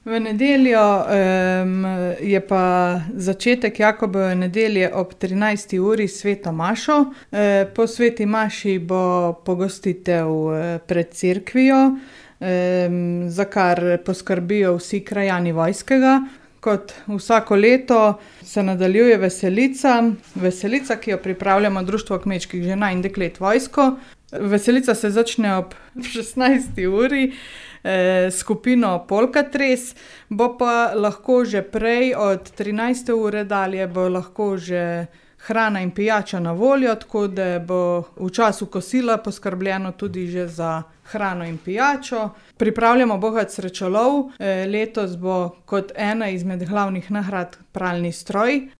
V nedeljo je pa začetek Jakobove nedelje ob 13. uri s sveto mašo. Po sveti maši bo pogostitev pred cerkvijo, za kar poskrbijo vsi krajani Vojskega. Kot vsako leto se nadaljuje veselica. Veselica, ki jo pripravljamo Društvo kmečkih žena in deklet Vojsko. Veselica se začne ob 16. uri s skupino Polkatres, bo pa lahko že prej, od 13. ure dalje, bo lahko že hrana in pijača na voljo, tako da bo v času kosila poskrbljeno tudi že za hrano in pijačo. Pripravljamo bogac srečolov. Letos bo kot ena izmed glavnih nagrad pralni stroj.